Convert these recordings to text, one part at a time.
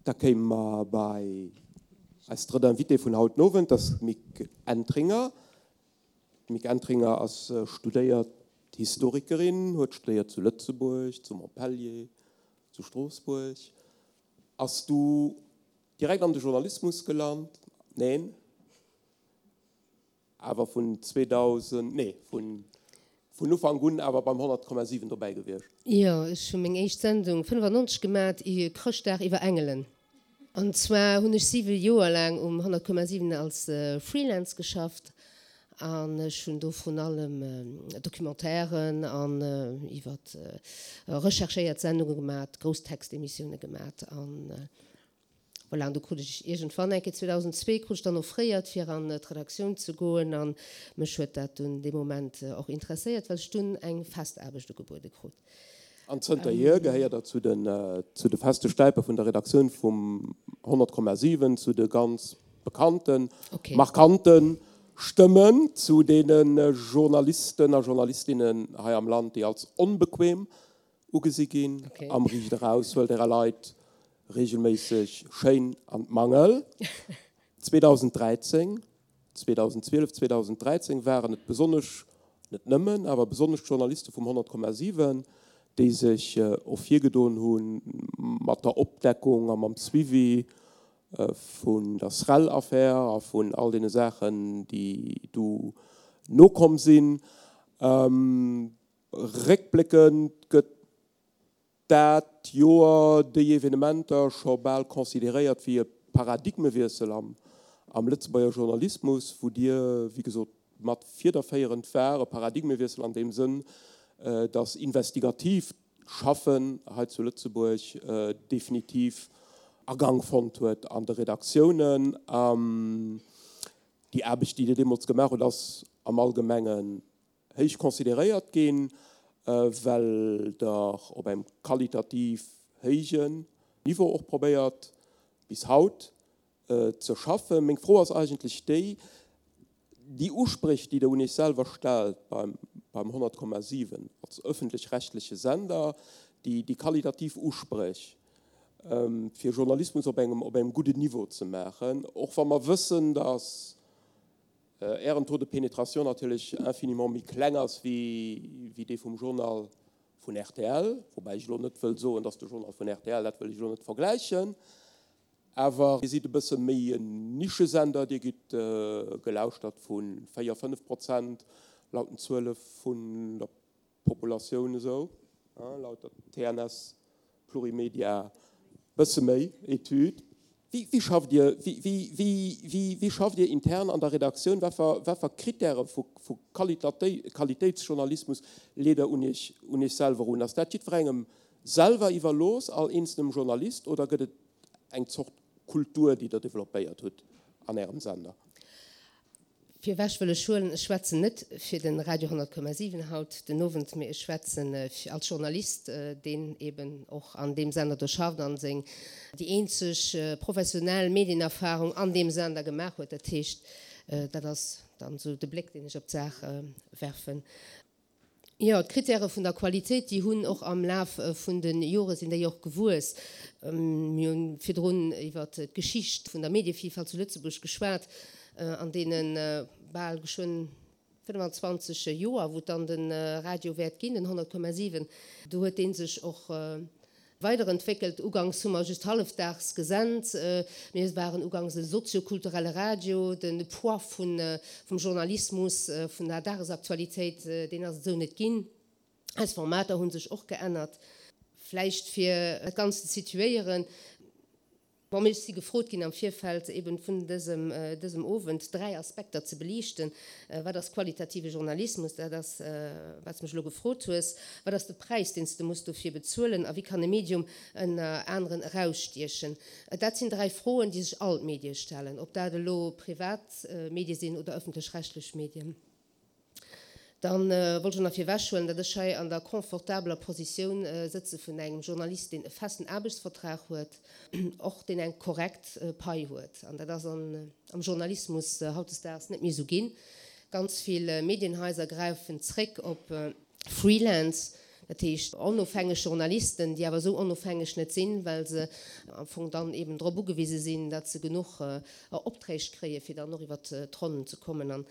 Da kéime mer bei eis drëtt Invitée vun haut den Owend, dat ass d'Mick Entringer. D'Mick Entringer ass studéiert Historikerin, huet studéiert zu Lëtzebuerg, zu Montpellier, zu Stroossbuerg. Ass du direkt an de Journalismus gelant? Neen. Awer vun 2000, nee, vun vun Ufank un awer beim 100,7 dobäi gewiescht. Jo, ech hu meng éischt Sendung 95 gemat, Chrëschtdag iwwer Engelen. An zwar hunn ech 7 Joer laang um 100,7 als Freelance geschafft an ech hunn do vrun allem Documentairen an iwwer recherchéiert Sendunge gemat, grouss Textemissioune gemat an Voilà, an du krut ech iergendwann eng Kéier, 2002, krut ech dann offréiert, fir an d'Redaktioun ze goen. A mech huet dat dunn dee Moment och interesséiert, well ech dunn eng fest Aarbecht ugebuede krut. An zënterhier gehéiert Der zu den, zu de feste Stäipe vun der Redaktioun vum 100,7, zu de ganz bekannten, markante Stëmmen, zu deene Journalisten a Journalistinnen hei am Land, déi als onbequem Ugesi ginn. Am Riicht eraus huelt Ärer Leit reegelméisseg schéin an d'Mangel. 2013, 2012, 2013 waren et besonnesch, net nëmmen, awer besonnesch d'Journaliste vum 100,7, déi sech ervirgedoen hu mat der Opdeckung a mam Suivi vun der SREL-Affär a vun all deene Saachen, déi du nokomm sinn. Réckbléckend gëtt dat Joer, déi Evenementer scho bal consideréiert wéi e Paradigmewiessel am Lëtzebuerger Journalismus, wou Dir, wéi gesot, mat fiederféierend war. E Paradigmewiessel an deem Sënn, datt investigatiivt Schaffen hei zu Lëtzebuerg definitiv Agank fonnt huet an de Redaktiounen. Déi Aarbecht, déi Dir deemools gemaach hutt, ass am Allgemengen héich consideréiert ginn, well Der op engem qualitativ héijen Niveau och probéiert bis haut ze schaffen. Meng Fro ass eigentlech déi, Déi Uspréch, déi Der un Iech selwer stellt beim 100,7 als öffentlich-rechtliche Sender, déi qualitativ Uspréch, fir Journalismus op engem gudden Niveau ze maachen, och wa mer wëssen, dass Ären Taux de pénétration natierlech infiniment méi kleng ass wéi dee vum Journal vun rtl, woubäi ech elo net wëll soen, dass de Journal vun rtl, dat wëll ech elo net vergläichen, awer Dir sidd e bësse méi en Nischesender, Dir gitt gelauschtert vu 4, 5 Prozent laut den Zuele vun der Populatioun esou, laut der TNS Plurimedia bësse méi Etüd. Wéi schafft Dir, wéi schafft Dir intern an der Redaktioun? Wat fir Krittäre vu Qualitéitsjournalismus leet Der un Iech, un Iech selwer un? Ass dat jiddwerengem selwer iwwerlooss, all eenzelnem Journalist, oder gëtt et eng Zort Kultur, déi Der developpéiert hutt an Ärem Sender? Virwech wëll ech huelen, ech schwätzen net fir de Radio 100,7 haut den Owend, mee ech schwätzen als Journalist, deen eben och an deem Sender do schafft an seng déi eenzeg professionell Medienerfahrung an deem Sender gemaach huet. Dat heescht, dat ass dann esou de Bléck, deen ech op d'Saach werfen. Jo, d'Kritäre vun der Qualitéit, déi hunn och am Laf vun de Jore sinn déi och gewuess. Mir hu virdrun iwwer d'Geschicht vun der Medievillfalt zu Lëtzebuerg geschwat. An deene bal geschwënn 25 Joer, wou et dann de Radio wäert ginn, den 100,7, do huet dee sech och Weiderentwéckelt. Uganks hu mer just hallefdaags gesent. Mir waren uganks e soziokulturelle Radio. De Poids vum Journalismus, vun der Dagesaktualitéit, deen ass et esou net ginn. Eis Formater hu sech och geännert. Vläicht fir dat Ganzt ze situéieren, Bon, mir si gefrot ginn am Virfeld eben vun dësem, dësem Owend 3 Aspekter ze beliichten. Wat ass qualitative Journalismus? Dat ass, wat s mech elo gefrot hues. Wat ass de Präis, deen s de muss dofir bezuelen? A wéi kann e Medium ënner aneren erausstiechen? Dat sinn 3 Froen, déi sech all d'Medie stellen, ob dat elo privat Medie sinn oder ëffentlech-rechtlech Medien. Dann wollt ech och nach virwech huelen, datt ech hei an der confortabeler Positioun sëtze vun engem Journalist, deen e festen Aarbechtsvertrag huet, och deen eng korrekt Pai huet. An dat ass am Journalismus hautdesdaags net méi esou ginn. Ganz vill Medienhaiser gräifen zréck op Freelance. Dat heescht onofhängeg Journalisten, déi awer esou onofhängeg net sinn, well se am Fong dann eben drop ugewise sinn, datt se genuch Opträg kréie fir dann och iwwer d'Ronnen ze kommen. An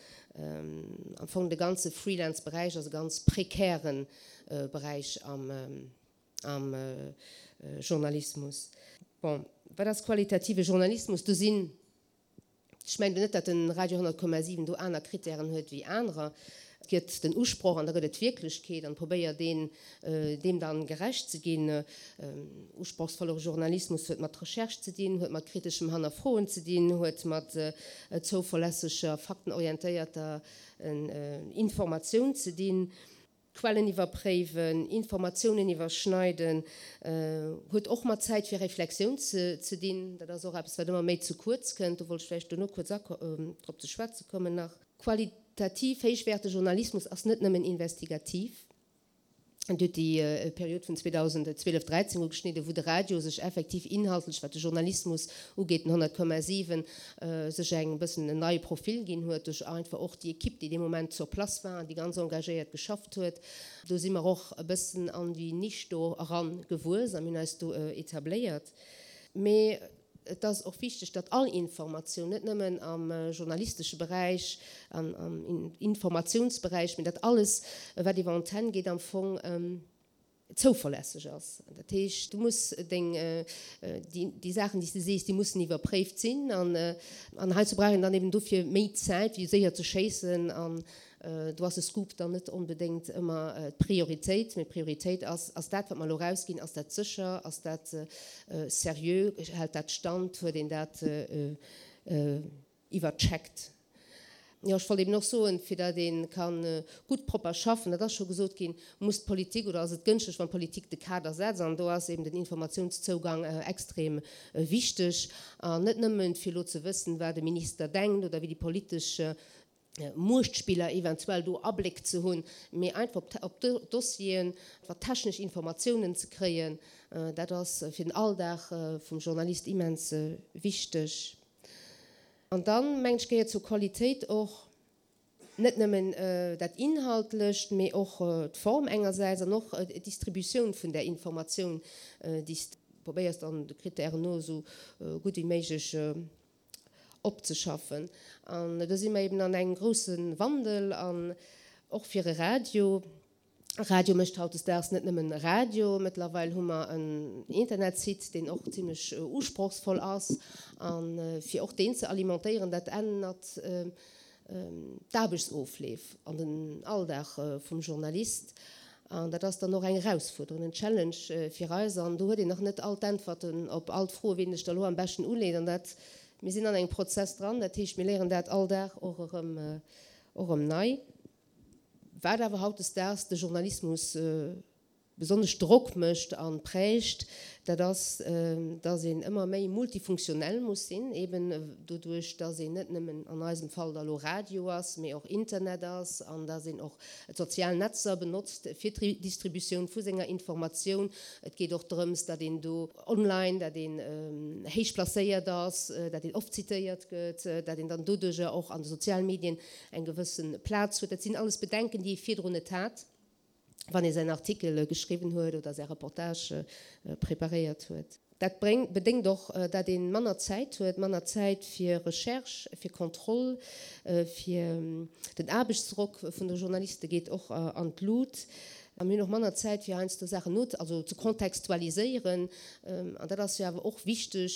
am Fong de ganze Freelance-Beräich ass e ganz prekäre Beräich am am Journalismus. Bon, wat ass qualitative Journalismus? Do sinn, ech mengen net, datt de Radio 100,7 do aner Kritären huet wéi anerer. Et gëtt den Usproch an da gëtt et d'Wierklechkeet an probéiert een, deem dann gerecht ze ginn. Usprochsvolle Journalismus huet mat Recherche ze dinn, huet mat kriteschem Hannerfroen ze dinn, huet mat zouverlässeger, faktenorientéierter Informatioun ze dinn. Quellen iwwerpréiwen, Informatiounen iwwerschneiden, huet och mat Zäit fir Reflexioun ze dinn. Dat ass och eppes, wat ëmmer méi ze kuerz kënnt. Do wollt ech vläicht dono kuerz drop ze schwätze kommen nach. Qualitativ héichwäertege Journalismus ass net nëmmen investigativ. Et huet déi Period vun 2012, 13 ugeschnidden, wou de Radio sech effektiv inhaltlech, wat de Journalismus ugeet, den 100,7, sech eng bëssen en neie Profil ginn huet, duerch einfach och déi Equipe, déi dee Moment sur place war an déi ganz engagéiert geschafft huet. Do si mer och e bëssen an déi Nisch do eran gewuess a mir hunn eis do etabléiert. Mee et ass och wichteg, datt all Informatioun, net nëmmen am journalistesche Beräich, am Informatiounsberäich, mee datt alles, wat iwwer Antenn geet, am Fong zouverlässeg ass. Dat heescht, du muss deng, déi Saachen, déi s de sees, déi mussen iwwerpréift sinn. An, an heizou brauch een dann eben dofir méi Zäit, wéi séier ze schéissen. An do ass e Scoop dann net onbedéngt ëmmer d'Prioritéit, mee d'Prioritéit ass, Ass dat, wat mer elo erausginn, ass dat sécher, ass dat seriö, hält dat Stand, huet een dat iwwercheckt. Jo, ech wollt eben och soen, fir datt ee ka gutt propper schaffen, dat ass scho gesot ginn, muss d'Politik oder ass et gënschteg, wann d'Politik de Kader setzt. An do ass eben den Informatiounszougang extrem wichteg. An net nëmmen, fir elo ze wëssen, wat e Minister denkt oder wéi déi politesch Muechtspiller eventuell do Abléck ze hunn, mee einfach op d'Dossieren, wat technesch Informatiounen ze kréien. Dat ass fir den Alldag vum Journalist immens wichteg. An dann, mengen ech, gehéiert zur Qualitéit och net nëmmen dat Inhaltlecht, mee och d'Form engersäits an och d'Distributioun vun där Informatioun, déi s de probéiers dann de Krittären no esou gutt wéi méiglech opzeschaffen. An do si mer eben an engem grousse Wandel an och fir e Radio. Radio mécht hautdesdaags net nëmmen Radio, mëttlerweil hu mer en Internetsite, deen och zimlech usprochsvoll ass. A fir och deen ze alimentéieren, dat ännert d'Aarbechtsofleef an den Alldag vum Journalist. An dat ass dann och eng Erausfuerderung, en Challenge fir eis. An do huet een nach net all d'Äntwerten op all d'Froen, wéi een sech da elo am beschten uleet. An dat, mir sinn an engem Prozess dran, dat heescht, mir léieren dat all Dag och erëm, och erëm nei. Wat awer hautdesdaags de Journalismus besonnesch Drock mécht a prägt, dat ass, dass een ëmmer méi multifunktionell muss sinn, eben doduerch, dass een net nëmmen an eisem Fall da lo Radio ass, mee och Internet ass an dass een och d'sozial Netzer benotzt fir d'Distributioun vu senger Informatioun. Et geet och drëms, datt een do online, datt een héich placéiert ass, datt een oft zitéiert gëtt, datt een dann doduerjer och an de sozialen Medien eng gewësse Plaz huet. Dat sinn alles Bedenken, déi ee virdrun net hat, wann ee säin Artikel geschriwwen huet oder säi Reportage preparéiert huet. Dat bedéngt och, dat ee manner Zäit huet, manner Zäit fir Recherche, fir Kontroll, fir den Aarbechtsdrock vun de Journaliste geet och an d'Lut. A mir hunn och manner Zäit, fir heiansdo Saachen no, also ze kontextualiséieren. An dat ass jo awer och wichteg,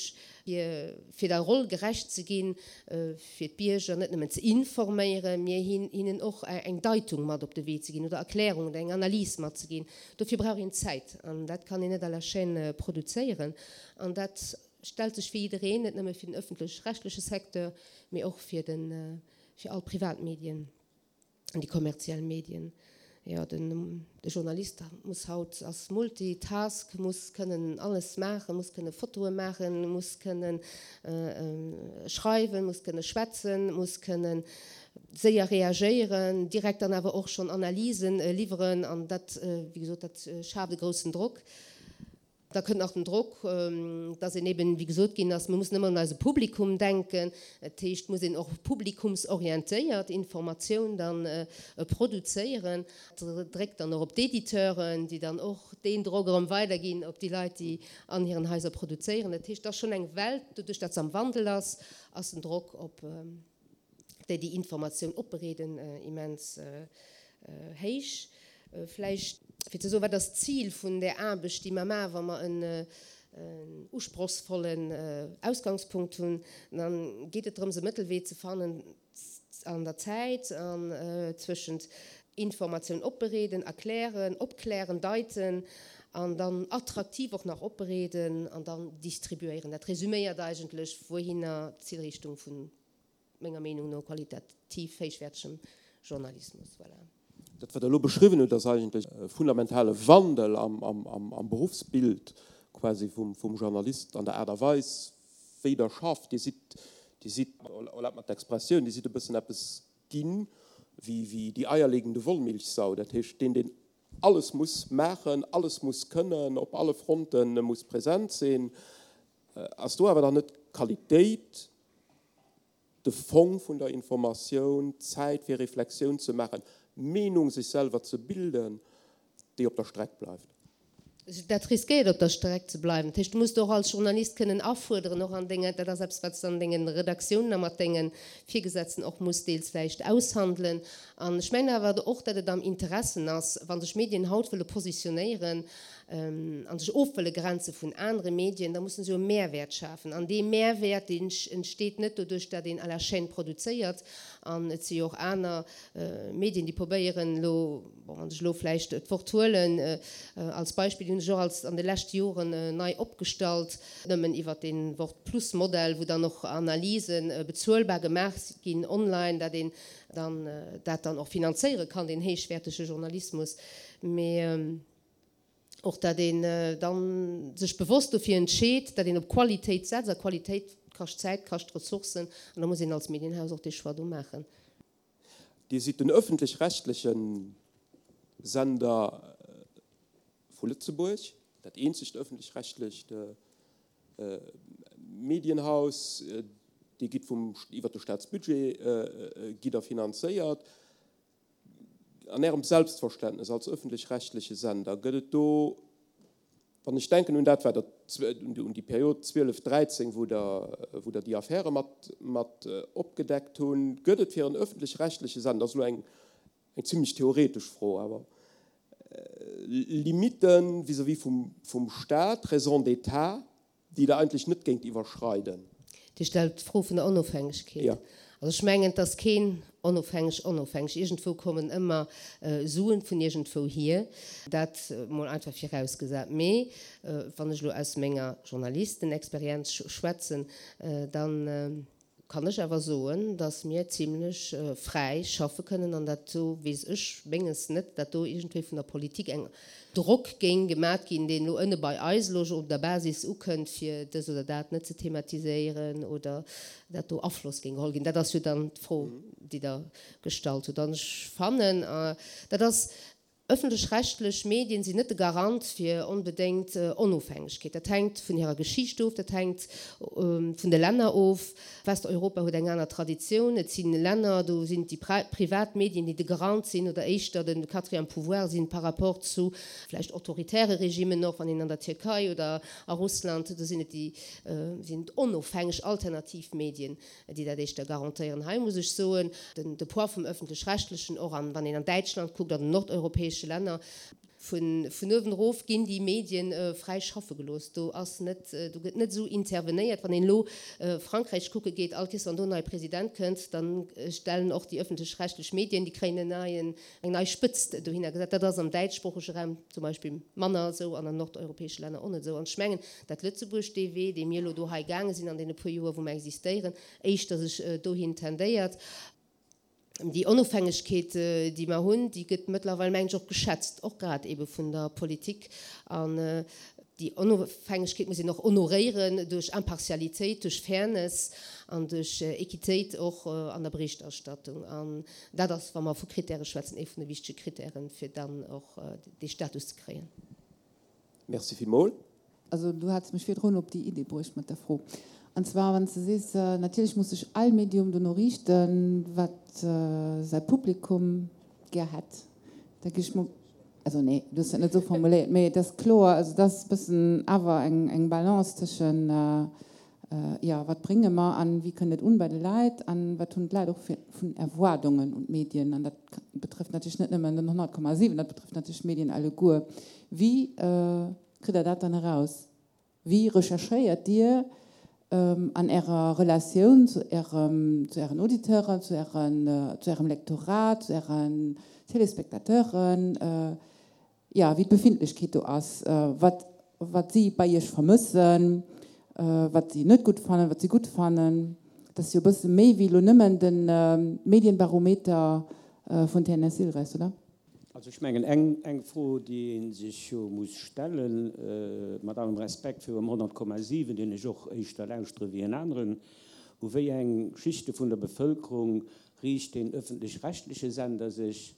fir fir der Roll gerecht ze ginn, fir d'Bierger net nëmmen ze informéieren, mee hinnen och eng Deitung mat op de Wee ze ginn oder Erklärungen oder eng Analys matzeginn. Dofir brauch een Zäit an dat kann een net à la chaîne produzéieren. An dat stellt sech fir jiddereen, net nëmme fir den ëffentlech-rechtleche Secteur, mee och fir de fir all Privatmedien. An déi kommerziell Medien, jo, den de Journalist muss haut, ass Multitask, muss kënnen alles maachen, muss kënne Fotoe maachen, muss kënne schreiwen, muss kënne schwätzen, muss kënne séier reagéieren, direkt dann awer och schonn Analysen liwweren. An dat, wéi gesot, dat schaaft e groussen Drock. Da kënnt nach den Drock, dass een eben, wéi gesot ginn ass, mir mussen ëmmer un eise Publikum denken. Dat heescht, muss een och publikumsorientéiert Informatioun dann produzéieren. Dat dréckt dann och op d'Editeuren, déi dann och deen Drock erëm weiderginn op déi Leit, déi an hiren Haiser produzéieren. Dat heescht, et ass schonn eng Welt, doduerch dat se am Wandel ass, ass den Drock op déi déi Informatioun opbereeden, immens héich. Vläicht fir ze soen, wat ass d'Zil vun där Aarbecht, déi mer maachen, wa mer en usprochsvollen Ausgangspunkt hunn, da geet et drëms e Mëttelwee ze fannen an der Zäit an zwëschent Informatioun opbereeden, erklären, opklären, deiten an dann attraktiv och nach opbereeden an dann distribuéieren. Dat resüméiert eigentlech, wouhinner d'Zilrichtung vun menger Meenung no qualitativ héichwäertegem Journalismus. Voilà. Dat, wat Der elo beschriwwen hutt, ass eigentlech e fundamentale Wandel am Beruffsbild quasi vum Journalist, an der Aart a Weis, wéi Der schafft. Dir sidd, Dir sidd, erlaabt mer d'Expressioun, Dir sidd e bëssen eppes ginn wéi die eierlegende Wollmilchsau, dat heescht deen, deen alles muss maachen, alles muss kënnen, op alle Fronte muss present sinn. Ass do awer dann net d'Qualitéit de Fong vun der Informatioun, d'Zäit fir Reflexioun ze maachen, d'Meenung sech selwer ze bilden, déi op der Streck bleift? Dat riskéiert op der Streck ze bleiwen. Dat heescht, du muss och als Journalist kënnen afuerderen, och an denge, dat ass eppes, wat s de an denge Redaktiounen a mat denge Virgesetzten och muss deels vläicht aushandelen. An ech mengen awer och, datt et am Interessen ass, wa sech Medien haut wëlle positionéieren a sech of wëlle grenze vun anere Medien, da musse se jo e Mehrwäert schafen. An dee Mehrwäert, deen entsteet net doduerch, datt een à la chaîne produzéiert. An et si jo och aner Medien, déi probéieren elo, bon, wann ech elo vläicht d'Wort huelen als Beispill, déi hunn sech och als an de leschte Joren nei opgestallt, nëmmen iwwert dee Wort-Plus-Modell, wou dann och Analyse bezuelbar gemaach ginn online, dat een dann dat dann och finanzéiere kann, deen héichwäertege Journalismus, mee och dat een dann sech bewosst dofir entscheet, dat een op Qualitéit setzt, a Qualitéit kascht Zäit, kascht Ressourcen, an da muss een als Medienhaus och dee Choix do maachen. Dir sidd den öffentlech-rechtleche Sender vu Lëtzebuerg, dat eenzegt öffentlech-rechtlecht Medienhaus. Dir gitt vum, iwwert de Staatsbudget gitt Der finanzéiert. An Ärem Selbstverständnes als öffentlech-rechtleche Sender, gëtt et do, wann ech denken un dat, wat Der, un déi Period 12, 13, wou Der, wou Der déi Affäre mat, mat opgedeckt hunn, gëtt et fir en öffentlech-rechtleche Sender, dat ass elo eng, eng zimlech theoretesch Fro, awer Limitten vis-à-vis vum, vum Stat, Raison d'état, déi Der eigentlech net géingt iwwerschreiden? Dir stellt d'Fro vun der Onofhängegkeet. Jo. Also ech mengen, et ass keen onofhängeg onofhängeg. Iergendwou kommen ëmmer Suen vun iergendwou hier. Dat mol einfach virausgesat. Mee wann ech elo aus menger Journalistenexperienz schwätzen, dann kann ech awer soen, datt mir zimlech fräi schaffe kënnen an dat do weess ech menges net, datt do iergendwéi vun der Politik eng Drock géing gemat ginn, deen elo ënne bei eis elo op der Basis ukënnt, fir dës oder dat net ze thematiséieren oder dat do Afloss géing geholl ginn. Dat ass jo dann d'Fro, déi Der gestallt hutt. An ech fannen, dat ass Ëffentlech-rechtlech Medien sinn net de Garant fir onbedéngt Onofhängegkeet. Dat hänkt vun hirer Geschicht of, dat hänkt vun de Länner of. Westeuropa huet eng aner Traditioun. Et si Länner, do sinn et déi privat Medien, déi de Garant sinn oder éischter de quatrième pouvoir sinn par rapport zu vläicht autoritäre Regimmen och, wann een an der Tierkei oder a Russland, do sinn et déi sinn et onofhängeg alternativ Medien. déi dat éischter garantéieren. Hei muss ech soen, de Poids vum Öffentlech-Rechtlechen, och an, wann een an Däitschland kuckt, an den nordeuropäesche Länner, vun uewen erof ginn déi Medien fräi schaffe gelooss. Do ass net, do gëtt net esou intervenéiert. Wann een elo Frankräich kucke geet, all Kees wann do en neie President kënnt, da stellen och déi öffentlech-rechtlech Medien, déi kréien en neien, eng nei Spëtzt dohinner gesat. Dat ass am däitschsproochege Raum zum Beispill manner esou an an nordeuropäesche Länner och net esou. An ech mengen, dat Lëtzebuerg dee Wee, dee mir elo do hei gaange sinn an deene puer Joer, wou mer existéieren, éischter sech dohin tendéiert. Déi Onofhängegkeet, déi mer hunn, déi gëtt mëttlerweil, mengen ech, och geschätzt, och grad eebe vun der Politik. An déi Onofhängegkeet muss een och honoréieren duerch Impartialitéit, duerch Fairness an duerch Equitéit och an der Berichterstattung. An dat ass, wa mer vu Kritäre schwätzen, ee vun de wichtege Kritären, fir dann och dee Status ze kréien. Merci villmol. Also du hats mech virdrun op déi Idee bruecht mat der Fro. An zwar wann s de sees, natierlech muss sech all Medium dono riichten, wat säi Publikum gär hätt, da gi ech mol, also nee, du hues dat net esou formuléiert, mee et ass kloer, also et ass e bëssen awer eng eng Balance tëschen, jo, wat brénge mer an wéi kënnt et un bei de Leit an wat hunn d'Leit och fir vun Erwaardungen un d'Medien. An dat betrëfft natierlech net nëmmen den 100,7, dat betrëfft natierlech d'Medien alleguer. Wéi Kritt Der dat dann eraus? Wéi recherchéiert Dir an Ärer Relatioun zu Ärem, zu Ären Auditeuren, zu Ären, zu Ärem Lektorat, zu Ären Téléspectateuren, jo, wéi d'Befindlechkeet do ass, wat, wat si bei Iech vermëssen, wat si net gutt fannen, wat si gutt fannen? Dat ass jo e bësse méi wéi elo nëmmen de Medienbarometer vun TNS Ilres, oder? Also ech mengen, eng Fro, déi ee sech jo muss stellen, mat allem Respekt virum 100,7, deen ech och éischter lauschtere wéi en aneren, U wéi eng Schichte vun der Bevëlkerung riicht deen öffentlech-rechtliche Sender sech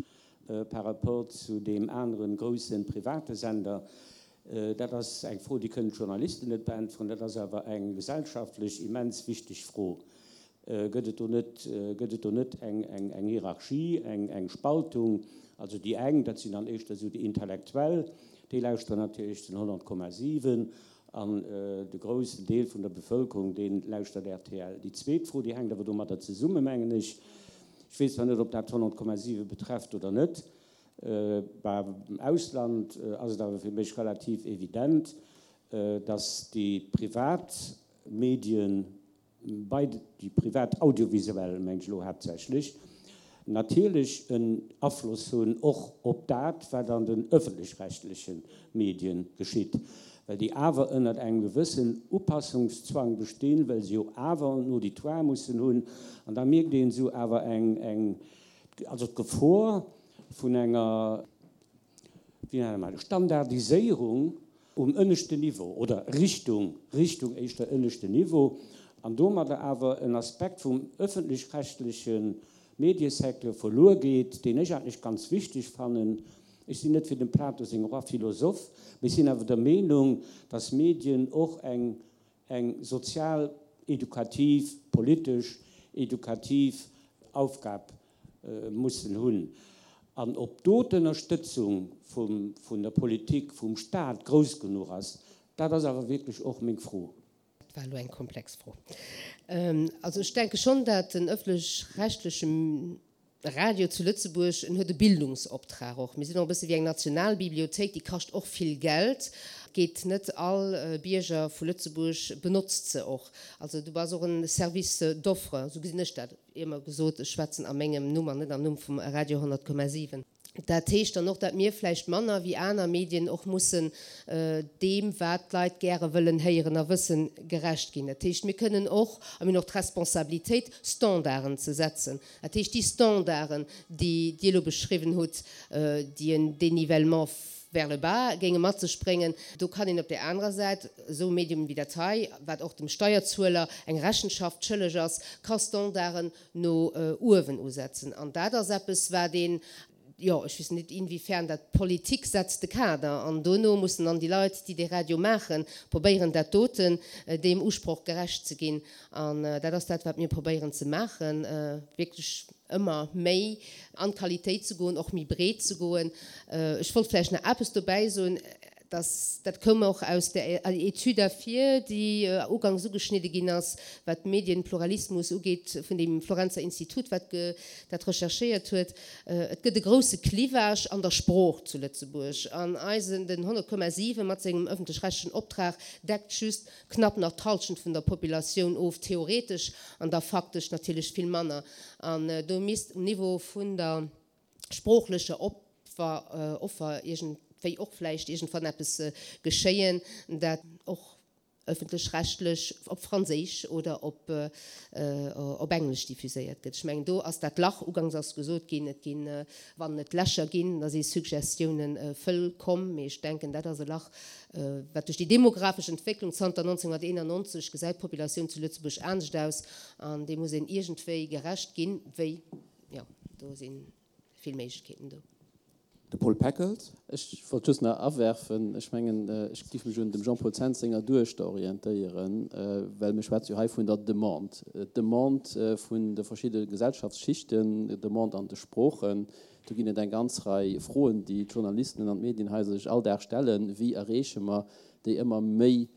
par rapport zu deem aneren groussen private Sender? Dat ass eng Fro, déi kënnen d'Journalisten net beäntweren, dat ass awer eng gesellschaftlech immens wichteg Fro. Gëtt et do net, gëtt et do net eng, eng, eng Hierarchie, eng, eng Spaltung? Also déi eng, dat sinn dann éischter esou déi Intellektuell, déi lauschteren natierlech den 100,7 an de groussen Deel vun der Bevëlkerung, dee lauschtert rtl. Déi zweet Fro, déi hänkt awer domadder zesummen, mengen ech, ech weess zwar net, ob dat 100,7 betrefft oder net, bah, am Ausland ass et awer fir mech relativ evident, datt déi privat Medien, bei déi privat audiovisuell, mengen ech elo haaptsächlech, natierlech en Afloss hunn och op dat, wat an den öffentlech-rechtleche Medien geschitt, well déi awer ënnert engem gewëssen Upassungszwang bestinn, well se jo awer en Auditoire mussen hunn. An da mierkt een esou awer eng, eng, also d'Gefor vun enger, wéi nenne mer dat, Standardiséierung um ënneschten Niveau oder Richtung, Richtung éischter ënneschten Niveau, an domadder awer en Aspekt vum öffentlech-rechtleche Mediesecteur verluer geet, deen ech eigentlech ganz wichteg fannen. Ech sinn net fir dem Plato seng Rois philosophes, mee ech sinn awer der Meenung, dass Medien och eng eng sozial, edukativ, politesch, edukativ Aufgab mussen hunn. An ob do d'Ënnerstëtzung vun der Politik, vum Stat grouss genuch ass, dat ass awer wierklech och meng Fro. Dat war elo eng komplex Fro. Also ech denke schonn, dat den öffentlech-rechtleche Radio zu Lëtzebuerg, en huet e Bildungsoptrag och. Mir sinn och e bësse wéi eng Nationalbibliothéik, déi kascht och vill Geld. Geet net all Bierger vu Lëtzebuerg benotzt se och. Also du bass och en Service d'offre, esou gesinn ech dat. Ier gesot, ech schwätzen a mengem Numm an net am Numm vum Radio 100,7. Dat heescht dann och, datt mir vläicht manner wéi aner Medien och mussen deem, wat d'Leit gäre wëllen héieren a wëssen, gerecht ginn. Dat heescht, mir kënnen och, a mir hunn och d'Responsabilitéit, Standarden ze setzen. Dat heescht, déi Standarden, déi Dir elo beschriwwen hutt, déi en Dénivellement vers le bas géinge mat sech bréngen, do kann een op där anerer Säit esou e Medium wéi dat hei, wat och dem Steierzueler eng Rechenschaft schëlleg ass, ka Standarden no uewen usetzen. An dat ass eppes, wat een, jo, ech weess net inwiefern dat, d'Politik setzt de Kader an dono mussen dann déi Leit, déi dee Radio maachen, probéieren dat doten deem Usproch gerecht ze ginn. An dat ass dat, wat mir probéieren ze maachen, wierklech ëmmer méi an d'Qualitéit ze goen, och méi breet ze goen. Ech wollt vläicht nach eppes dobäi soen, dass, dat koum och aus där Etüd ervir, déi ugangs ugeschnidde ginn ass, wat Medienpluralismus ugeet, vun deem Florenzer Institut, wat dat recherchéiert huet, Et gëtt e grousse Clivage an der Sprooch zu Lëtzebuerg. An eisen, den 100,7 mat sengem öffentlech-rechtlichen Optrag deckt just knapp nach d'Halschent vun der Populatioun of, theoretesch, an da faktesch natierlech vill manner. An do misst um Niveau vun der sproochlecher Offer iergendwéi och vläicht iergendwann eppes geschéien, dat och ëffentlech-rechtlech op Franséisch oder op op Englesch diffuséiert gëtt. Ech mengen, do ass dat Lach, ugangs ass gesot ginn, et ginn, wann et Lächer ginn, da si Suggestiounen vëllkomm, mee ech denken, dat ass e Lach, wat duerch déi demografesch Entwécklung zanter 1991 gesäit d'Populatioun zu Lëtzebuerg anescht aus an deem muss een iergendwéi gerecht ginn. Wéi? Jo, do si vill Méiglechkeeten do. De Paul Peckels. Ech wollt just nach awerfen, ech mengen, ech géif mech un dem Jean-Paul Zens senger Duechter orientéieren, well mir schwätze jo hei vun der Demande, d'Demande vun de verschidde Gesellschaftsschichten, d'Demande an de Sproochen. Do ginn et eng ganz Rei Froen, déi d'Journalisten an d'Medien hei sech all Dag stellen, Wéi erreeche mer déi ëmmer méi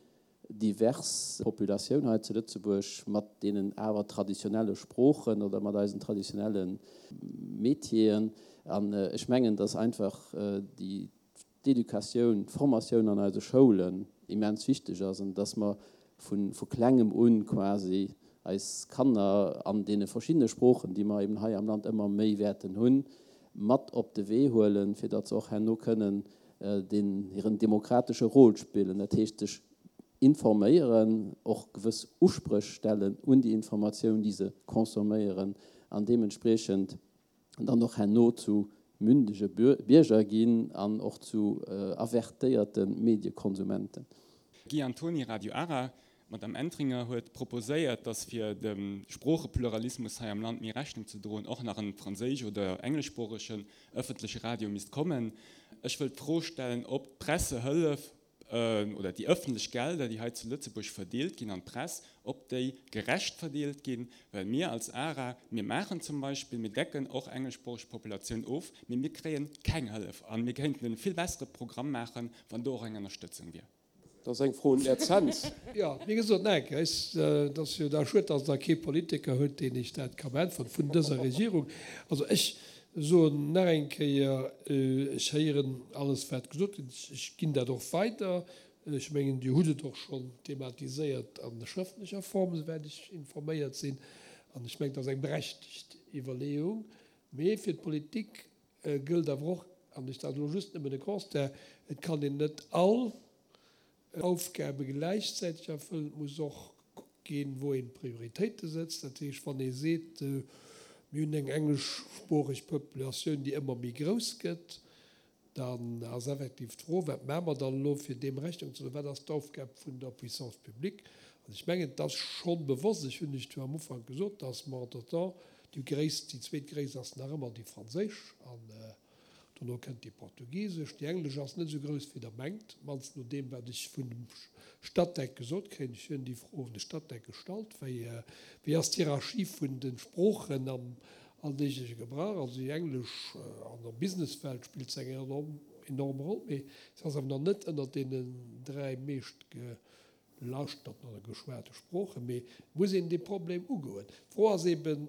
divers Populatioun hei zu Lëtzebuerg mat deenen awer traditionelle Sproochen oder mat eisen traditionelle Métieren. An ech mengen, dass einfach déi d'Educatioun, d'Formatioun an eise Schoulen immens wichteg ass an dass mer vu Klengem un quasi eis Kanner an deene verschiddene Sproochen, déi mer eben hei am Land ëmmer méi wäerten hunn, mat op de Wee huelen, fir datt se och herno kënnen deen hiren demokratesche Rôle spillen, dat heescht sech informéieren, och gewëss Uspréch stellen un déi Informatioun, déi se consomméieren an deementspriechend dann och herno zu mündege Bierger ginn an och zu avertéierte Mediekonsumenten. Guy Antoni, Radio Ara, D'Madame Entringer huet proposéiert, datt fir dem Sproochepluralismus hei am Land méi Rechnung ze droen, och nach en franséisch oder engleschsproochegen ëffentleche Radio misst kommen. Ech wëll d'Fro stellen, ob d'Pressehëllef oder déi ëffentlech Gelder, déi hei zu Lëtzebuerg verdeelt ginn an d'Press, ob déi gerecht verdeelt ginn, well mir als ARA, mir maachen zum Beispill, mir decken och engleschsproocheg Populatioun of, mee mir kréien keng Hëllef a mir kéinten e vill bessere Programm maachen, wann do och eng Ënnerstëtzung wier. Dat ass eng Fro un den Här Zens. Jo, wéi gesot, nach eng Kéier, et ass jo da schued, datt Der kee Politiker hutt, deen Iech dat ka beäntweren vun dëser Regierung. Also ech soen nach eng Kéier, ech héieren alles, wat gesot gëtt. Ech ginn dat och weider. Ech mengen, Dir hutt et och schonn thematiséiert a schrëftlecher Form, esouwäit ech informéiert sinn. An ech mengen, et ass eng berechtegt Iwwerleeung. Mee fir d'Politik Gëllt awer och, an ech dat elo just nëmmen e Constat, et kann een net all Aufgabe gläichzäiteg erfëllen, et muss och gekuckt ginn, wou een d'Prioritéite sëtzt. Dat heescht, wann ee seet, mir hunn eng engleschsproocheg Populatioun, déi ëmmer méi grouss gëtt, dann ass effektiv d'Fro, wat maache mer dann elo, fir deem Rechnung ze droen, wat ass d'Aufgab vun der Puissance publique? An ech mengen, et ass scho bewosst, ech hunn lech jo am Ufank gesot, dass mer entretemps Déi gréisst, déi zweetgréisst ass nach ëmmer déi franséisch an dono kënnt déi portugisesch. Déi englesch ass net esou grouss wéi der mengt, mannst no deem wat ech vun dem Statec gesot kréien. Ech hunn déi Fro un de Statec gestallt, wéi wéi ass d'Hierarchie vun de Sproochen am alldeegleche Gebrauch. Also déi englesch an der Businesswelt spillt se eng enorm enorm Roll, mee se ass awer nach net ënnert deenen 3 meescht Lauschterten oder geschwate Sproochen, mee et muss een dee Problem ugoen. D'Fro ass eben,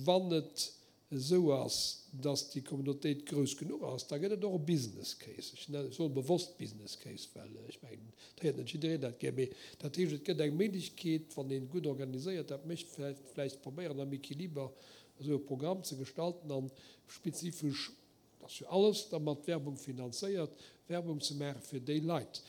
wann et esou ass, datt déi Communautéit grouss genuch ass, da gëtt et och e Business Case. Ech nennen, ech soe bewosst Business Case, well ech mengen, et héiert net jiddereen dat gär, mee dat heescht, et gëtt eng Méiglechkeet, wann een gutt organiséiert dat mécht, vläicht, vläicht probéieren am Equiliber esou e Programm ze gestalten an spezifesch, et ass jo alles da mat Werbung finanzéiert, Werbung ze maache fir déi Leit.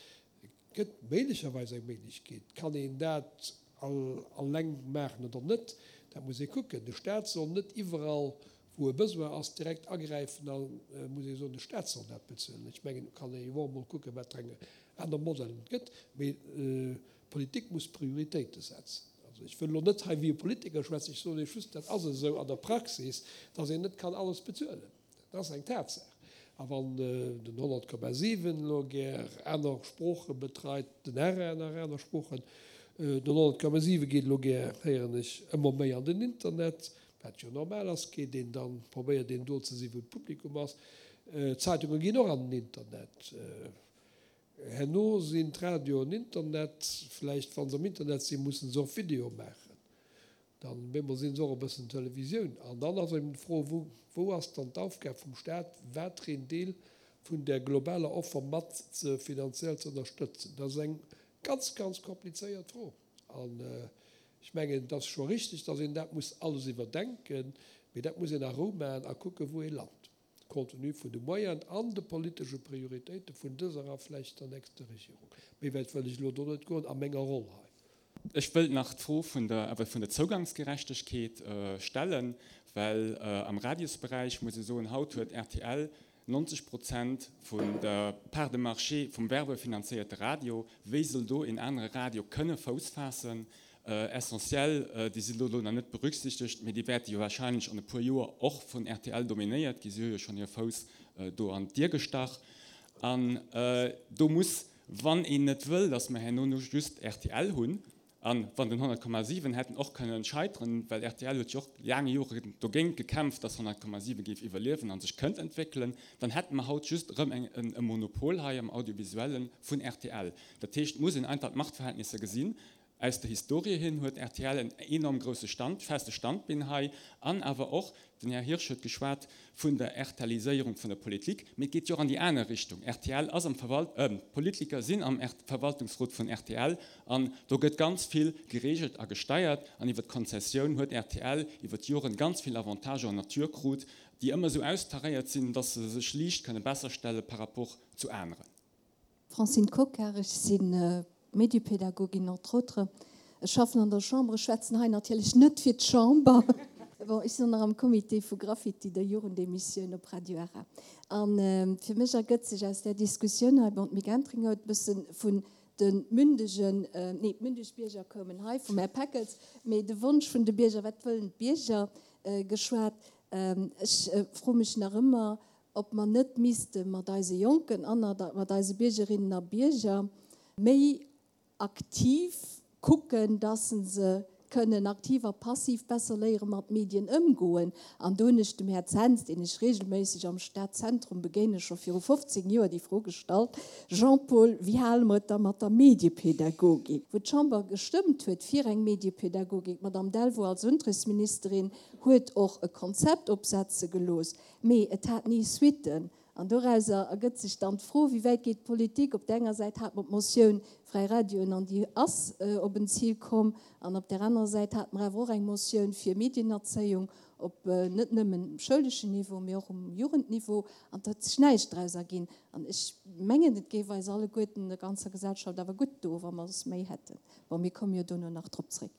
Gëtt méiglecherweis eng Méiglechkeet. Kann een dat alleng maachen oder net, dat muss ee kucken. De Staat soll net iwwerall, wou e Besoin ass, direkt agräifen a muss ee soen, de Staat soll dat bezuelen. Ech mengen, do kann ee jo och emol kucken, wat fir eng aner Modellen et gëtt. Mee d'Politik muss Prioritéite setzen. Also ech wëll elo net hei wéi e Politiker schwätzen, ech soen Iech just, dat ass esou an der Praxis, dass een net kann alles bezuelen. Dat ass eng Tatsaach. A wann den 100,7 elo gär aner Sprooche betreit, den RR nach aner Sproochen, den 100,7 geet elo gär, héieren ech, ëmmer méi an den Internet, wat jo normal ass, geet een dann, probéiert een do ze sinn, wou d'Publikum ass. D'Zeitunge ginn och an den Internet. Herno sinn d'Radioen Internet, vläicht wa se am Internet sinn, musse se och Video maachen. Dann bemol sinn se och e bëssen Televisioun. An dann ass eben d'Fro, wou, wou ass dann d'Aufgab vum Staat, watereen Deel vun där globaler Offer mat ze finanziell ze ënnerstëtzen? Dat ass eng ganz, ganz komplizéiert Fro. An ech mengen, et ass scho richtig, dass een dat muss alles iwwerdenken, mee dat muss een a Rou maachen a kucken, wou ee lant, compte tenu vun de Moyenen an de politesche Prioritéite vun dëser a vläicht der nächster Regierung. Méi wäit wëll ech elo do net goen a menger Roll hei. Ech wëllt nach d'Fro vun der, awer vun der Zougangsgerechtegkeet stellen, well am Radiosberäich muss ee soen, haut huet rtl 90 Prozent vun der Part de marché vum werbefinanzéierte Radio. Wéi soll do een anere Radio kënne Fouss faassen? Essentiel, déi sinn elo nach net berücksichtegt, mee déi wäerte jo wahrscheinlech an e puer Joer och vun rtl dominéiert ginn. Si hu jo schonn hir Fouss do an d'Dier gestach. An do muss, wann een net wëll, datt mer herno just rtl hunn, a wann den 100,7 hätten och kënnen scheiteren, well rtl huet jo och laang Joren dogéint gekämpft, datt 100,7 géif iwwerliewen a sech kënnt entwéckelen, dann hätte mer haut just erëm e Monopol hei am Audiovisuelle vun rtl. Dat heescht, et muss een einfach d'Machtverhältnisser gesinn. Aus der Historie hin huet rtl en enorm grousse Stand, feste Standbeen hei an awer och, den Här Hirsch huet geschwat vun der RTLiséierung vun der Politik, mee et geet jo och an déi aner Richtung. Rtl ass am Verwalt, d'Politiker sinn am Verwaltungsrot vun rtl an do gëtt ganz vill geregelt a gesteiert an iwwer d'Konzessioun huet rtl iwwer d'Joren ganz vill Avantagen en nature krut, déi ëmmer esou austaréiert sinn, dass se sech liicht kënne besser stelle par rapport zu aneren. Francine Cocard, Ech si Mediepädagogin entre autres. Ech schaffen an der Chamber. Ech schwätzen hei natierlech net fir d'Chamber. Bon, ech sinn och nach am Comité vu Graffiti, der Jugendemissioun op Radio Ara. A fir mech ergëtt sech aus där Diskussioun hei, bon, d'Mick Entringer huet e bësse vun de mündegen, nee, d'mündeg Bierger koumen hei vum Här Peckels, mee de Wonsch vun de Bierger, wat wëllen d'Bierger, geschwat. Ech froe mech nach ëmmer, ob mer net misste mat eise Jonken an mat eise Biergerinnen a Bierger méi aktiv kucken, dass se kënnen aktiv a passiv besser léiere mat Medien ëmgoen. An do hunn ech dem Här Zens, deen ech regelméisseg am Stadzentrum begéinen, scho viru 15 Joer déi Fro gestallt, Jean-Paul, wéi hale mer et da mat der Mediepädagogik? Wou d'Chamber gestëmmt huet fir eng Mediepädagogik, d'Madame Delvaux als Unterrichtsministerin huet och e Konzept opsetze gelooss, Mee et hat ni Suitten. An dorauser ergëtt sech dann d'Fro, Wéi wäit geet d'Politik? Op där enger Säit hate mer d'Motioun Fräi Radioen an déi ass op en Zil komm. An op där anerer Säit hate mer awer och eng Motioun fir Medienerzéiung op net nëmmen schouleschen Niveau, mee och um Jugendniveau. An et huet sech näischt draus erginn. An ech mengen, et géif eis alleguerten, der ganzer Gesellschaft awer gutt doen, wa mer es méi hätten. Bon, mir komme jo dono nach drop zréck.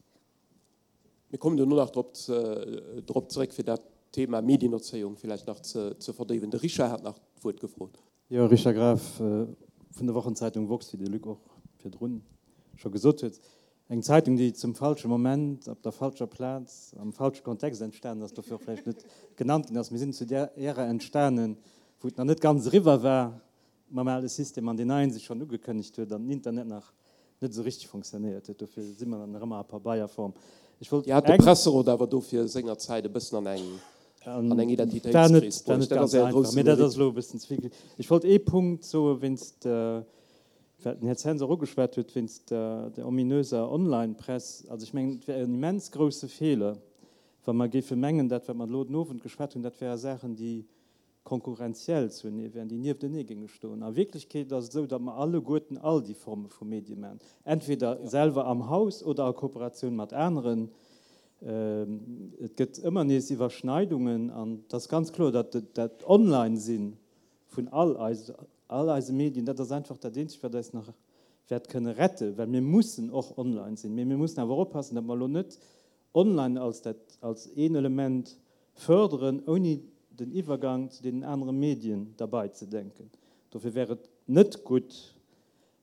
Mir kommen duerno nach drop drop zeréck, fir dat Thema Medienerzéiung villäicht nach ze ze verdéiwen. De Richard hat nach d'Wuert gefrot. Jo, Richard Graf vun der Wochenzeitung woxx, wéi de Luc och virdrun scho gesot huet. Eng Zeitung, déi zum falsche Moment, op der falscher Plaz, am falsche Kontext entstanen ass, dofir och vläicht net genannt ginn ass. Mir sinn zu där Ära entstanen, wou et nach net ganz eriwwer war mam ale System an deen neien sech schonn ugekënnegt huet an den Internet nach net esou richteg fonctionnéiert huet. Dofir si mer nach ëmmer a Pabeierform. Ech wollt Dir hat de Presserot awer dofir sengerzäit e bëssen an eng an eng Identitéitskris bruecht. Dat ass Äre grousse Mérite. Mee dat ass elo e bëssen ze vill. Ech wollt ee Punkt soe wéinst, wat den Här Zens och ugeschwat huet, wéinst der ominöser Online-Press. Also ech mengen, et wär en immens grousse Feeler, wa mer géife mengen, dat wat mer elo den Owend geschwat hunn, dat wäre Saachen, déi konkurrenziell zuenee wären, déi nieftenee géinge stoen. A Wierklechkeet ass et esou, datt mer alleguerten all déi Forme vu Medie maachen, entweder selwer am Haus oder a Kooperatioun mat aneren. Et gëtt ëmmer nees Iwwerschneidungen an et ass ganz kloer, datt dat Online-Sinn vun all eis, all eise Medien, dat ass einfach dat Eenzegt, wat eis nach wäert kënne retten, well mir mussen och online sinn. Mee mir mussen awer oppassen, datt mer elo net online als dat als een Element förderen, ouni den Iwwergang zu deenen anere Medien derbei ze denken. Dofir wär et net gutt,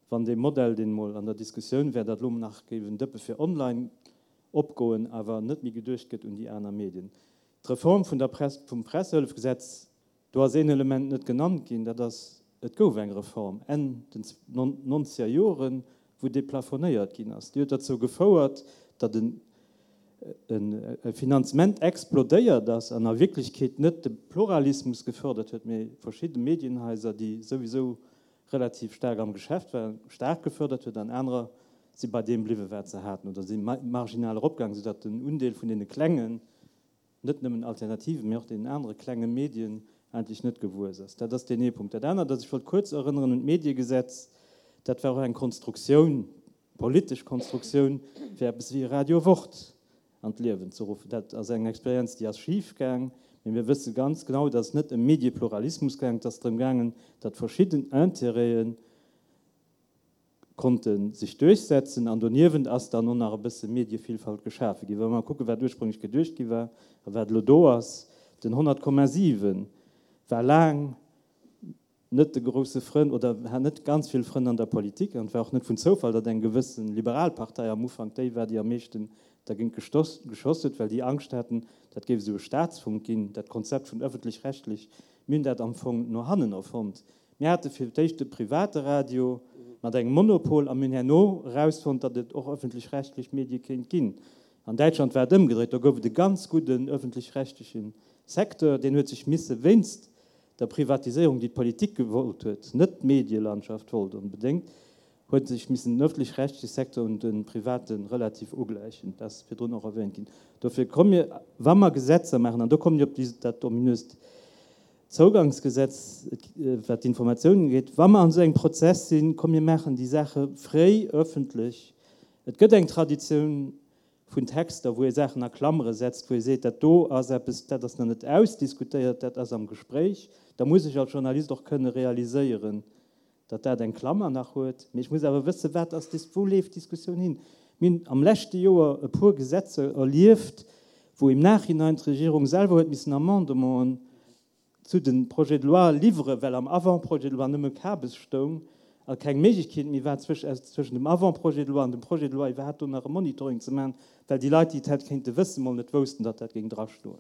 wann dee Modell, deen emol an der Diskussioun wär, datt elo nach géif en Dëppe fir online opgoen, awer net méi geduecht gëtt un déi aner Medien. D'Reform vun der Press, vum Pressehëllefgesetz Do ass een Element net genannt ginn, dat ass, et gouf eng Reform Enn den nonzeger Joren, wou deplafonéiert ginn ass. Déi huet derzou gefouert, datt e Finanzement explodéiert ass an a Wierklechkeet net de Pluralismus gefördert huet, mee verschidde Medienhaiser, déi souwisou relativ staark am Geschäft waren, staark gefördert huet an anerer si bei deem bliwwen, wat se haten oder si marginal eropgaangen, soudatt den Undeel vun deene klengen net nëmmen alternativen, mee och deenen anere klenge Medien eigentlech net gewuess ass. Dat ass deen ee Punkt. Dat anert ass, ech wollt kuerz erënneren un d'Mediegesetz, dat war och eng Konstruktioun, politesch Konstruktioun, fir eppes wéi e Radio Wort an d'Liewen ze ruffen. Dat ass eng Experienz, déi ass schifgaang, mee mir wësse ganz genau, et ass net ëm Mediepluralismus gaangen, et ass drëm gaangen, datt verschidden Intérêten, konnte sech duerchsetzen an doniewent ass dann och nach e bësse Medievielfalt geschafe ginn. Wa mer kucken, wat ursprünglech geduecht gi war a wat elo do ass, den 100,7 war laang. net de grousse Frënn oder hat net ganz vill Frënn an der Politik an et war och net vun Zoufall, datt eng gewësse liberal Partei am Ufank déi war, déi am meeschten dergéint geschoss huet, well déi Angscht haten, dat géif esou e Staatsfunk ginn, dat Konzept vun öffentlich-rechtlech. Mir hunn dat am Fong no hannen erfonnt. Mir hate fir d'éischt e private Radio mat engem Monopol a mir hunn herno erausfonnt, datt et och öffentlich-rechtlech Medie kéint ginn. An Däitschland war et ëmgedréit, do gouf et e ganz gudden öffentlich-rechtleche Secteur, deen huet sech misse wéinst der Privatiséierung, déi d'Politik gewollt huet, net d'Medielandschaft wollt onbedéngt, huet sech missen den öffentlich-rechtliche Secteur un de private relativ ugläichen. Dat ass virdrun och erwähnt ginn. Dofir komme mir, wa mer Gesetzer maachen, an do kommen ech op déi, dat ominöst Zougangsgesetz, wat d'Informatiounen ugeet, wa mer an esou engem Prozess sinn, komm mir maachen déi Saache fréi öffentlech. Et gëtt eng Traditioun vun Texter, wou ee Saachen a Klammere setzt, wou ee seet, dat do ass eppes, dat ass nach net ausdiskutéiert, dat ass am Gespréich. Da muss ech als Journalist och kënne realiséieren, datt dat eng Klammer nach huet. Mee ech muss awer wëssen, wat ass, wou leeft d'Diskussioun hin. Mir hunn am leschte Joer e puer Gesetzer erlieft, wou im Nachhinein d'Regierung selwer huet missen Amendementen zu de Projets de loi liwweren, well am Avant-projet de loi nëmme Kabes stoung a keng Méiglechkeet méi war, zwëschen dem Avant-projet de loi an dem Projet de loi iwwerhaapt do nach e Monitoring ze maachen, well déi Leit, déi et hätt kéinte wëssen, mol net woussten, datt dat géing drastoen.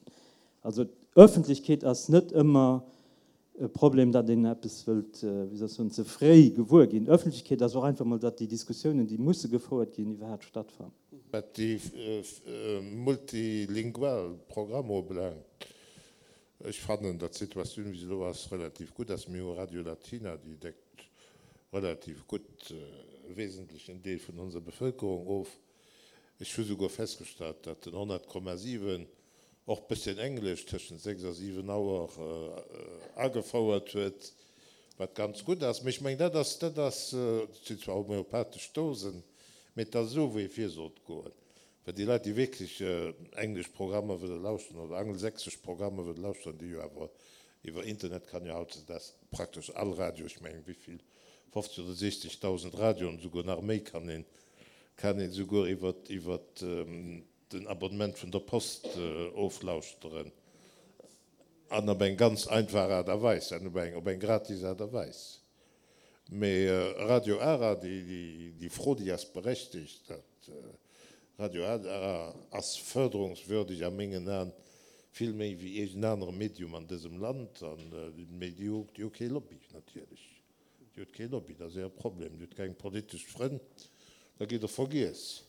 Also d'Öffentlechkeet ass net ëmmer e Problem, datt een eppes wëllt, wéi soll ech soen, ze fréi gewuer ginn. Öffentlechkeet ass och einfach mol, datt déi Diskussiounen, déi musse gefouert ginn, iwwerhaapt stattfannen. Wat déi multilingual Programmer ubelaangt, Ech fannen, datt d'Situatioun, wéi se elo ass, relativ gutt ass. Mir hu Radio Latina, déi deckt relativ gutt e wesentlechen Deel vun onser Bevëlkerung of. Ech hu souguer festgestallt, datt den 100,7 och bësschen Englesch tëschent 6 a 7 Auer agefouert huet, wat ganz gutt ass. Mee ech mengen, dat ass, dat ass, dat sinn zwar homeopathesch Dosen, mee et ass esou, wéi ee vir sollt goen. Well déi Leit, déi wierklech englesch Programmer wëlle lauschteren oder angelsächsesch Programmer wëlle lauschteren, déi jo awer iwwer Internet kann jo hautdesdaags praktesch all Radio, ech mengen, wéivill, 50 oder 60.000 Radioen, esouguer nach méi kann een, kann een esouguer iwwer, iwwer den Abonnement vun der Post oflauschteren an op eng ganz einfach Aart a Weis an op eng, op eng gratis Aart a Weis. Mee Radio Ara, déi Fro, déi ass berechtigt. Dat Radio Ara ass förderungswürdig a mengen Aen, vill méi wéi iergend anere Medium an dësem Land. Mee déi hu kee Lobby natierlech. Déi huet kee Lobby, dat ass hire Problem. Déi huet keng politesch Frënn, da gitt Der vergiess.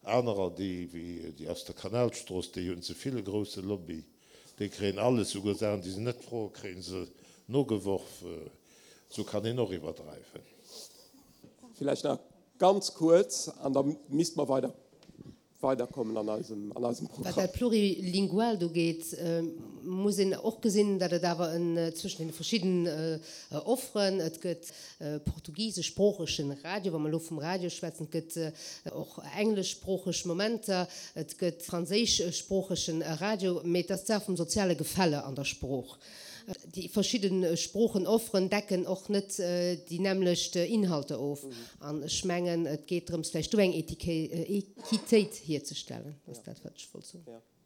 Anerer, déi wéi déi aus der Kanalstrooss, déi hunn ze vill e grousse Lobby. Déi kréien alles, souguer Saachen, déi se net froen, kréie se nogeworf. Sou kann een och iwwerdreiwen. Villäicht nach ganz kuerz, an da misste mer weider weiderkommen an eisem an eisem Programm. Wat dat Plurilinguaalt ugeet, muss een och gesinn, datt et awer en zwëschen deene verschidden Offeren, et gëtt portugiseschsproochegen Radio, wa mer elo vum Radio schwätzen, et gëtt och engleschsproocheg Momenter, et gëtt franséischsproochegen Radio, mee et ass d'Saach vum soziale Gefälle an der Sprooch. Déi verschidde Sproochenofferen decken och net déi nämmlecht Inhalter of. An ech mengen, et geet drëms, vläicht do eng Equitéit hierzestellen. Dat ass dat, wat ech wollt soen.